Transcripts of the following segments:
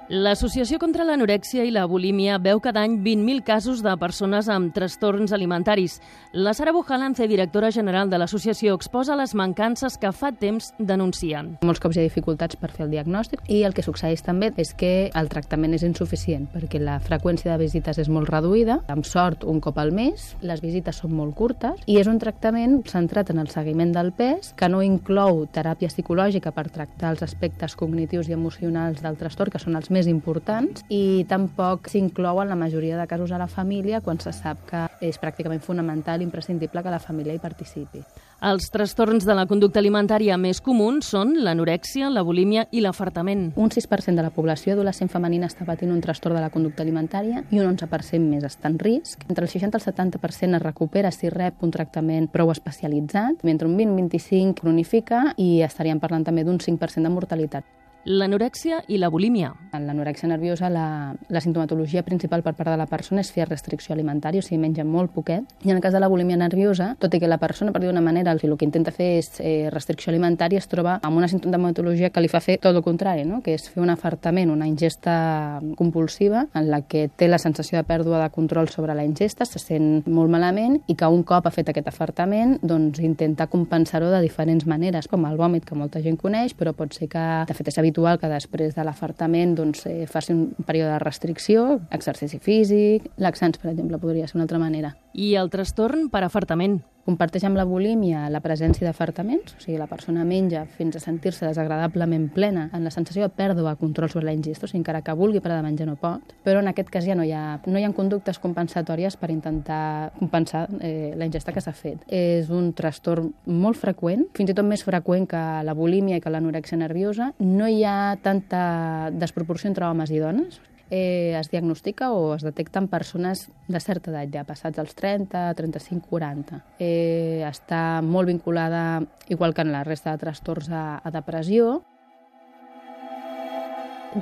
L'Associació contra l'Anorèxia i la Bulímia veu cada any 20.000 casos de persones amb trastorns alimentaris. La Sara Bujalance, directora general de l'associació, exposa les mancances que fa temps denuncien. Molts cops hi ha dificultats per fer el diagnòstic i el que succeeix també és que el tractament és insuficient perquè la freqüència de visites és molt reduïda, amb sort un cop al mes, les visites són molt curtes i és un tractament centrat en el seguiment del pes que no inclou teràpia psicològica per tractar els aspectes cognitius i emocionals del trastorn, que són els més importants, i tampoc s'inclou en la majoria de casos a la família quan se sap que és pràcticament fonamental i imprescindible que la família hi participi. Els trastorns de la conducta alimentària més comuns són l'anorèxia, la bulímia i l'afartament. Un 6% de la població adolescent femenina està patint un trastorn de la conducta alimentària i un 11% més està en risc. Entre el 60 i el 70% es recupera si rep un tractament prou especialitzat, mentre un 20-25% cronifica i estaríem parlant també d'un 5% de mortalitat. L'anorèxia i la bulímia. En l'anorèxia nerviosa, la sintomatologia principal per part de la persona és fer restricció alimentària, o sigui, menja molt poquet. I en el cas de la bulímia nerviosa, tot i que la persona, per dir d'una manera, el que intenta fer és restricció alimentària, es troba amb una sintomatologia que li fa fer tot el contrari, no? Que és fer un afartament, una ingesta compulsiva, en la que té la sensació de pèrdua de control sobre la ingesta, se sent molt malament i que un cop ha fet aquest afartament, doncs intenta compensar-ho de diferents maneres, com el vòmit, que molta gent coneix, però pot ser que, de fet, és habitual que després de l'afartament faci un període de restricció, exercici físic, laxants, per exemple, podria ser una altra manera. I el trastorn per afartament. Comparteix amb la bulímia la presència d'afartaments, o sigui, la persona menja fins a sentir-se desagradablement plena, en la sensació de pèrdua de control sobre la ingesta, o sigui, encara que vulgui parar de menjar no pot, però en aquest cas ja no hi ha conductes compensatòries per intentar compensar la ingesta que s'ha fet. És un trastorn molt freqüent, fins i tot més freqüent que la bulímia i que l'anorèxia nerviosa. No hi ha tanta desproporció entre homes i dones. Es diagnostica o es detecta en persones de certa edat, ja passats els 30, 35, 40. Està molt vinculada, igual que en la resta de trastorns, a depressió.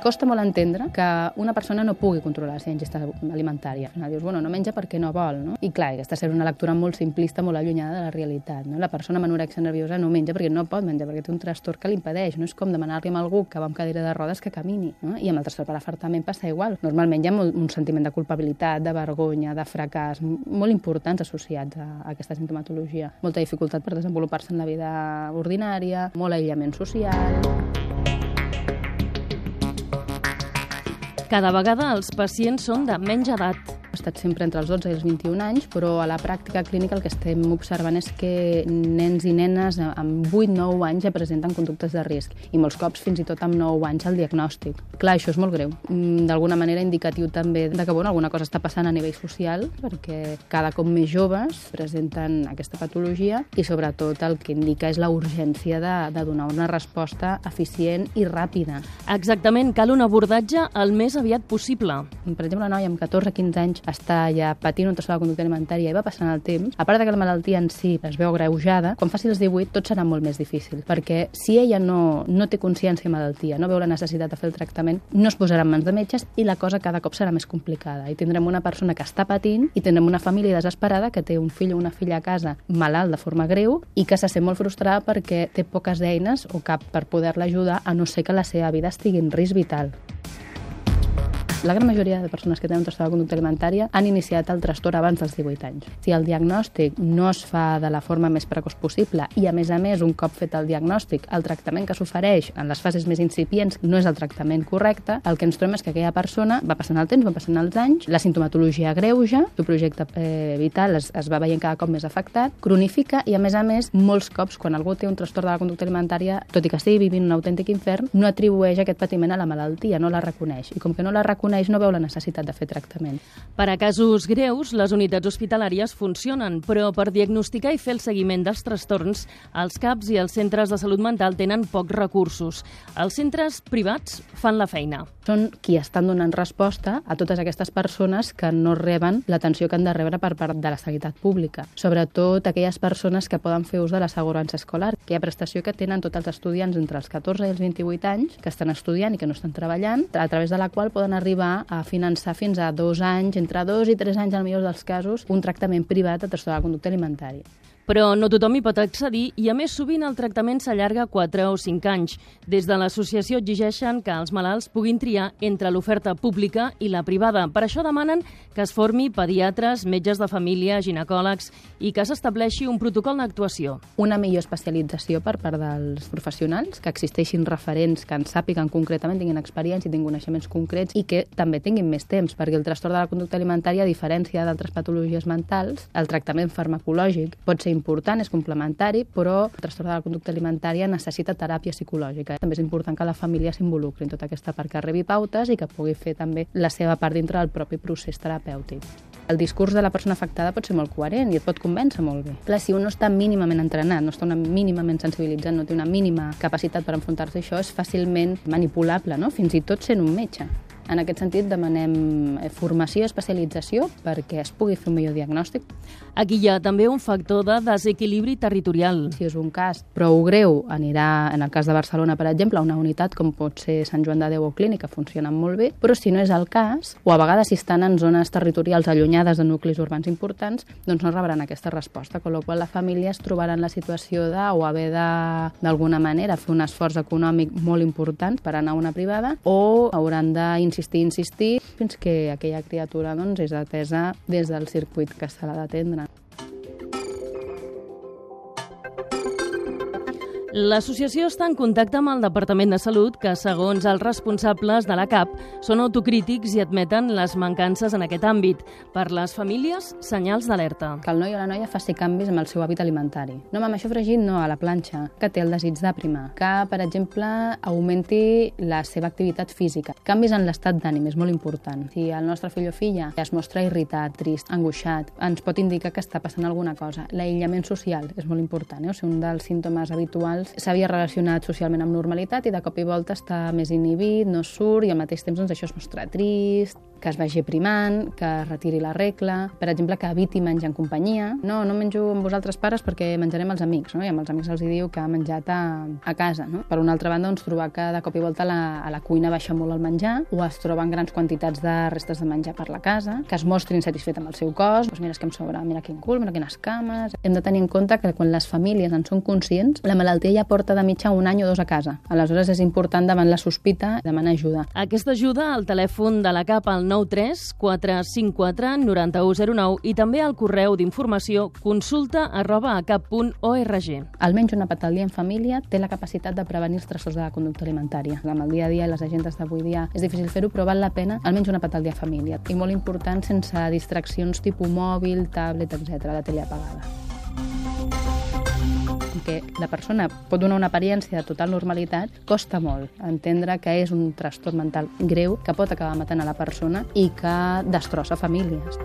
Costa molt entendre que una persona no pugui controlar la seva ingesta alimentària. Al final dius, bueno, no menja perquè no vol, no? I clar, aquesta és una lectura molt simplista, molt allunyada de la realitat, no? La persona amb anorèxia nerviosa no menja perquè no pot menjar, perquè té un trastorn que l'impedeix. No és com demanar-li a algú que va amb cadira de rodes que camini, no? I amb el trastorn per afartament passa igual. Normalment hi ha un sentiment de culpabilitat, de vergonya, de fracàs, molt importants associats a aquesta sintomatologia. Molta dificultat per desenvolupar-se en la vida ordinària, molt aïllament social. Cada vegada els pacients són de menys edat. Ha estat sempre entre els 12 i els 21 anys, però a la pràctica clínica el que estem observant és que nens i nenes amb 8-9 anys ja presenten conductes de risc i molts cops fins i tot amb 9 anys el diagnòstic. Clar, això és molt greu. D'alguna manera indicatiu també de que alguna cosa està passant a nivell social, perquè cada cop més joves presenten aquesta patologia i sobretot el que indica és la urgència de donar una resposta eficient i ràpida. Exactament, cal un abordatge el més aviat possible. Per exemple, una noia amb 14-15 anys està ja patint un trastorn de la conducta alimentària i va passant el temps, a part que la malaltia en si es veu agreujada, quan faci els 18 tot serà molt més difícil, perquè si ella no té consciència de malaltia, no veu la necessitat de fer el tractament, no es posarà en mans de metges i la cosa cada cop serà més complicada. I tindrem una persona que està patint i tindrem una família desesperada que té un fill o una filla a casa malalt de forma greu i que se sent molt frustrada perquè té poques eines o cap per poder-la ajudar, a no ser que la seva vida estigui en risc vital. La gran majoria de persones que tenen un trastorn de conducta alimentària han iniciat el trastorn abans dels 18 anys. Si el diagnòstic no es fa de la forma més precoç possible i, a més, un cop fet el diagnòstic, el tractament que s'ofereix en les fases més incipients no és el tractament correcte, el que ens trobem és que aquella persona va passant el temps, va passant els anys, la sintomatologia agreuja, el seu projecte vital es va veient cada cop més afectat, cronifica i, a més, molts cops, quan algú té un trastorn de la conducta alimentària, tot i que estigui vivint un autèntic infern, no atribueix aquest patiment a la malaltia, no la reconeix. I com que no la reconeix, no veu la necessitat de fer tractament. Per a casos greus, les unitats hospitalàries funcionen, però per diagnosticar i fer el seguiment dels trastorns, els CAPs i els centres de salut mental tenen pocs recursos. Els centres privats fan la feina. Són qui estan donant resposta a totes aquestes persones que no reben l'atenció que han de rebre per part de la sanitat pública. Sobretot aquelles persones que poden fer ús de l'assegurança escolar, que hi ha prestació que tenen tots els estudiants entre els 14 i els 28 anys, que estan estudiant i que no estan treballant, a través de la qual poden arribar a finançar fins a 2 anys, entre 2 i 3 anys, en el millor dels casos, un tractament privat de trastorn de la conducta alimentària. Però no tothom hi pot accedir i, a més, sovint el tractament s'allarga 4 o 5 anys. Des de l'associació exigeixen que els malalts puguin triar entre l'oferta pública i la privada. Per això demanen que es formi pediatres, metges de família, ginecòlegs i que s'estableixi un protocol d'actuació. Una millor especialització per part dels professionals, que existeixin referents que en sàpiguen concretament, tinguin experiència i tinguin coneixements concrets i que també tinguin més temps, perquè el trastorn de la conducta alimentària, a diferència d'altres patologies mentals, el tractament farmacològic pot ser important, és complementari, però el trastorn de la conducta alimentària necessita teràpia psicològica. També és important que la família s'involucri en tota aquesta part, que rebi pautes i que pugui fer també la seva part dintre del propi procés terapèutic. El discurs de la persona afectada pot ser molt coherent i et pot convèncer molt bé. Clar, si un no està mínimament entrenat, no està mínimament sensibilitzat, no té una mínima capacitat per enfrontar-se a això, és fàcilment manipulable, no? Fins i tot sent un metge. En aquest sentit, demanem formació i especialització perquè es pugui fer un millor diagnòstic. Aquí hi ha també un factor de desequilibri territorial. Si és un cas prou greu, anirà, en el cas de Barcelona, per exemple, a una unitat com pot ser Sant Joan de Déu o Clínica, funcionen molt bé, però si no és el cas, o a vegades si estan en zones territorials allunyades de nuclis urbans importants, doncs no rebran aquesta resposta, amb la qual la família es trobarà en la situació de o haver d'alguna manera fer un esforç econòmic molt important per anar a una privada, o hauran insistir, fins que aquella criatura doncs, és atesa des del circuit que se l'ha d'atendre. L'associació està en contacte amb el Departament de Salut, que, segons els responsables de la CAP, són autocrítics i admeten les mancances en aquest àmbit. Per les famílies, senyals d'alerta. Que el noi o la noia faci canvis amb el seu hàbit alimentari. No, amb això fregit, no, a la planxa. Que té el desig d'aprimar. Que, per exemple, augmenti la seva activitat física. Canvis en l'estat d'ànim, és molt important. Si el nostre fill o filla es mostra irritat, trist, angoixat, ens pot indicar que està passant alguna cosa. L'aïllament social és molt important, O sigui, un dels símptomes habituals s'havia relacionat socialment amb normalitat i de cop i volta està més inhibit, no surt i al mateix temps doncs, això es mostra trist, que es vagi primant, que es retiri la regla, per exemple, que eviti menjar en companyia. No menjo amb vosaltres pares perquè menjaré amb els amics, I amb els amics els diu que ha menjat a casa, Per una altra banda, doncs, trobar que de cop i volta a la cuina baixa molt el menjar o es troben grans quantitats de restes de menjar per la casa, que es mostri insatisfet amb el seu cos, doncs mira, és que em sobra, mira quin cul, mira quines cames. Hem de tenir en compte que quan les famílies en són conscients, la malaltia ja porta de mitja 1 any o 2 a casa. Aleshores és important davant la sospita demanar ajuda. Aquesta ajuda al telèfon de la CAP al 93 454 9109 i també al correu d'informació consulta@acap.org. Almenys un àpat al dia en família té la capacitat de prevenir els trastorns de la conducta alimentària. Amb el dia a dia i les agendes d'avui dia és difícil fer-ho, però val la pena almenys un àpat al dia en família. I molt important sense distraccions tipus mòbil, tablet, etc., la tele apagada. Que la persona pot donar una apariència de total normalitat, costa molt entendre que és un trastorn mental greu que pot acabar matant a la persona i que destrossa famílies.